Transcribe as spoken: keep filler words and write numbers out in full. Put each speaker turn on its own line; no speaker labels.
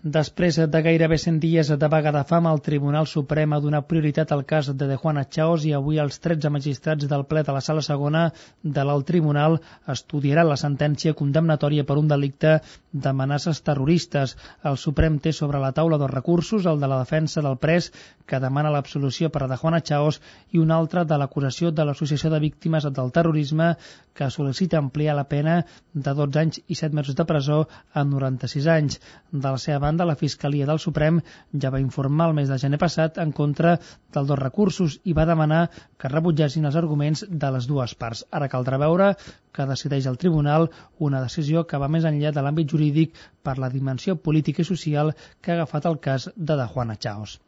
Després de gairebé cent dies de vaga de fam, el Tribunal Suprem ha donat prioritat al cas de De Juana Chaos i avui els tretze magistrats del ple de la Sala Segona de l'Alt Tribunal estudiaran la sentència condemnatòria per un delicte d'amenaces terroristes. El Suprem té sobre la taula dos recursos, el de la defensa del pres, que demana l'absolució per a De Juana Chaos, i un altre de l'acusació de l'Associació de Víctimes del Terrorisme, que sol·licita ampliar la pena de dotze anys i set mesos de presó a noranta-sis anys. De la seva banda, la Fiscalia del Suprem ja va informar el mes de gener passat en contra dels dos recursos i va demanar que rebutgessin els arguments de les dues parts. Ara caldrà veure que decideix el tribunal, una decisió que va més enllà de l'àmbit jurídic per la dimensió política i social que ha agafat el cas de De Juana Chaos.